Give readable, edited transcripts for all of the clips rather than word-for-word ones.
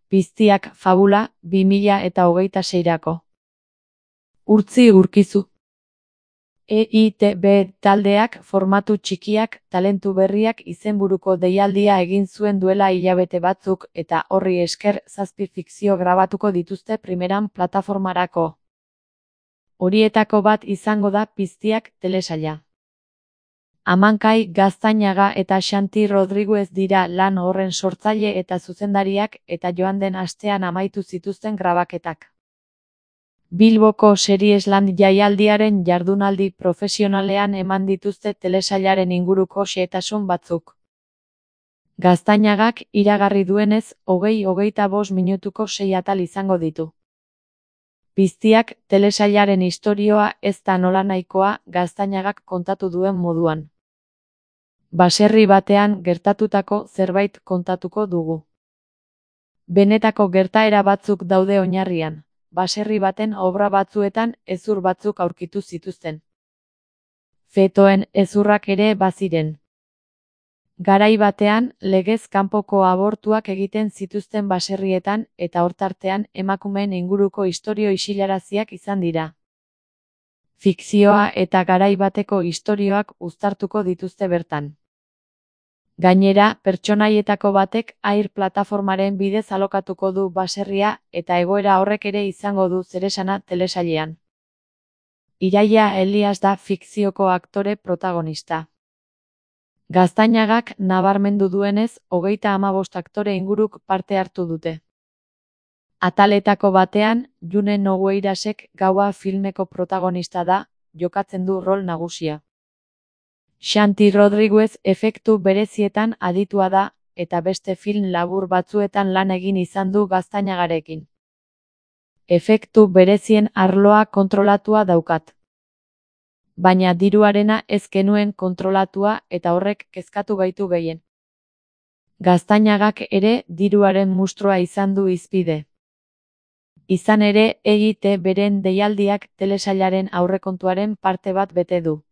Piztiak fabula 2026-rako. Urtzi Urkizu. EITB taldeak formatu txikiak, talentu berriak izenburuko deialdia egin zuen duela hilabete batzuk eta horri esker 7 fikzio grabatuko dituzte primeran plataformarako. Horietako bat izango da Piztiak telesaila. Amankai Gaztañaga eta Xanti Rodriguez dira lan horren sortzaile eta zuzendariak eta joan den astean amaitu zituzten grabaketak. Bilboko Seriesland jaialdiaren jardunaldi profesionalean eman dituzte telesailaren inguruko xehetasun batzuk. Gaztañagak iragarri duenez, 20-25 minutuko 6 atal izango ditu. Piztiak telesailaren istorioa ez da nolanahikoa Gaztañagak kontatu duen moduan. Baserri batean gertatutako zerbait kontatuko dugu. Benetako gertaera batzuk daude oinarrian. Baserri baten obra batzuetan hezur batzuk aurkitu zituzten. Fetoen hezurrak ere baziren. Garai batean, legez kanpoko abortuak egiten zituzten baserrietan eta hortartean emakumeen inguruko istorio isilaraziak izan dira. Fikzioa eta garai bateko istorioak uztartuko dituzte bertan. Gainera, pertsonaietako batek Air plataformaren bidez alokatuko du baserria eta egoera horrek ere izango du zeresana telesailean. Iraia Elias da fikzioko aktore protagonista. Gaztañagak nabarmendu duenez, 35 aktore inguruk parte hartu dute. Ataletako batean, June Nogueirasek Gaua filmeko protagonista da, jokatzen du rol nagusia. Xanti Rodriguez efektu berezietan aditua da, eta beste film labur batzuetan lan egin izan du Gaztañagarekin. Efektu berezien arloa kontrolatua daukat. Baina diruarena ez genuen kontrolatua eta horrek kezkatu gaitu gehien. Gaztañagak ere diruaren mustrua izan du hizpide. Izan ere, EITBren deialdiak telesailaren aurrekontuaren parte bat bete du.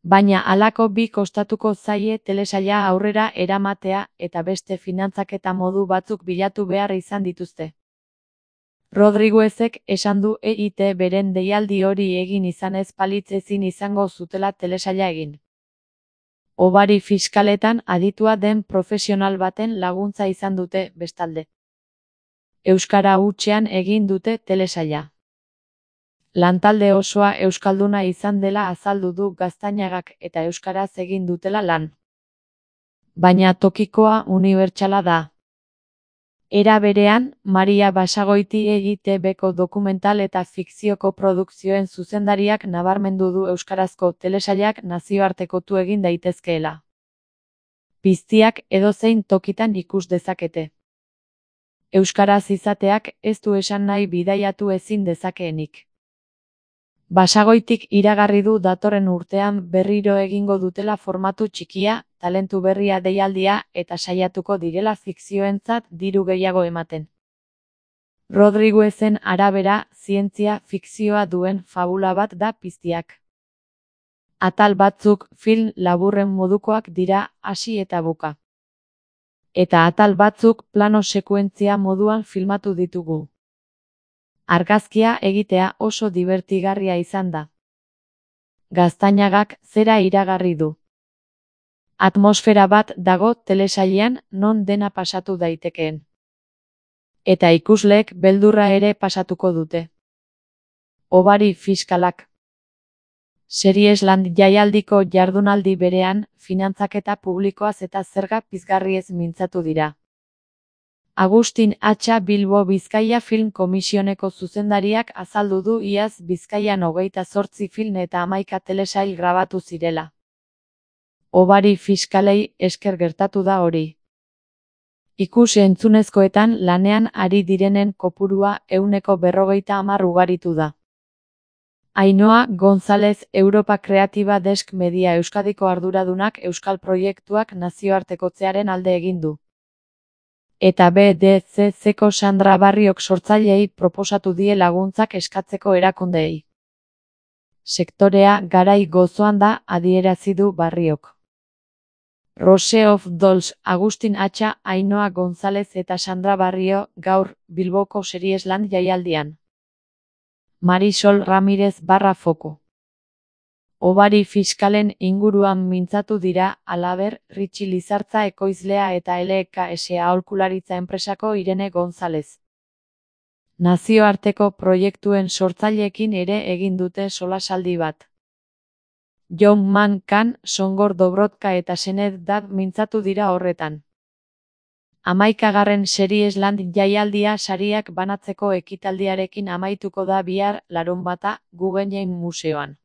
Baina halako bi kostatuko zaie telesaila aurrera eramatea eta beste finantzaketa modu batzuk bilatu behar izan dituzte. Rodriguezek esan du EITBren deialdi hori egin izan ez balitz ezin izango zutela telesaila egin. Hobari fiskaletan aditua den profesional baten laguntza izan dute bestalde. Euskara hutsean egin dute telesaila. Lantalde osoa euskalduna izan dela azaldu du Gaztañagak eta euskaraz egin dutela lan. Baina tokikoa unibertsala da. Era berean, Maria Basagoiti EITBko dokumental eta fikzioko produkzioen zuzendariak nabarmendu du euskarazko telesailak nazioartekotu egin daitezkeela. Piztiak edozein tokitan ikus dezakete. Euskaraz izateak ez du esan nahi bidaiatu ezin dezakeenik. Basagoitik iragarri du datorren urtean berriro egingo dutela formatu txikia, talentu berria deialdia eta saiatuko direla fikzioentzat diru gehiago ematen. Rodriguezen arabera, zientzia fikzioa duen fabula bat da Piztiak. Atal batzuk film laburren modukoak dira hasi eta buka. Eta atal batzuk plano sekuentzia moduan filmatu ditugu. Argazkia egitea oso dibertigarria izan da. Gaztañagak zera iragarri du. Atmosfera bat dago telesailean non dena pasatu daitekeen. Eta ikusleek beldurra ere pasatuko dute. Hobari fiskalak. Seriesland jaialdiko jardunaldi berean, finantzaketa publikoaz eta zerga pizgarriez mintzatu dira. Agustin Atxa Bilbo Bizkaia Film Komisioneko zuzendariak azaldu du iaz Bizkaian 28 film eta 11 telesail grabatu zirela. Hobari fiskalei esker gertatu da hori. Ikus-entzunezkoetan lanean ari direnen kopurua 150 ugaritu da. Ainhoa González Europa Kreatiba Desk Media Euskadiko arduradunak euskal proiektuak nazioartekotzearen alde egin du. Eta BDCCko Sandra Barriok sortzaileei proposatu die laguntzak eskatzeko erakundeei. Sektorea garai gozoan da, adierazi du Barriok. Rose of Dolls, Agustin Atxa, Ainhoa González eta Sandra Barrio, gaur, Bilboko Seriesland jaialdian. Marisol Ramirez /Foko. Hobari fiskalen inguruan mintzatu dira, halaber, Ritxi Lizartza ekoizlea eta LKS aholkularitza enpresako Irene González. Nazioarteko proiektuen sortzaileekin ere egin dute solasaldi bat. John Man-Kan, Songor Dobrotka eta Sened Dad mintzatu dira horretan. 11. Seriesland jaialdia sariak banatzeko ekitaldiarekin amaituko da bihar, larunbata, Guggenheim Museoan.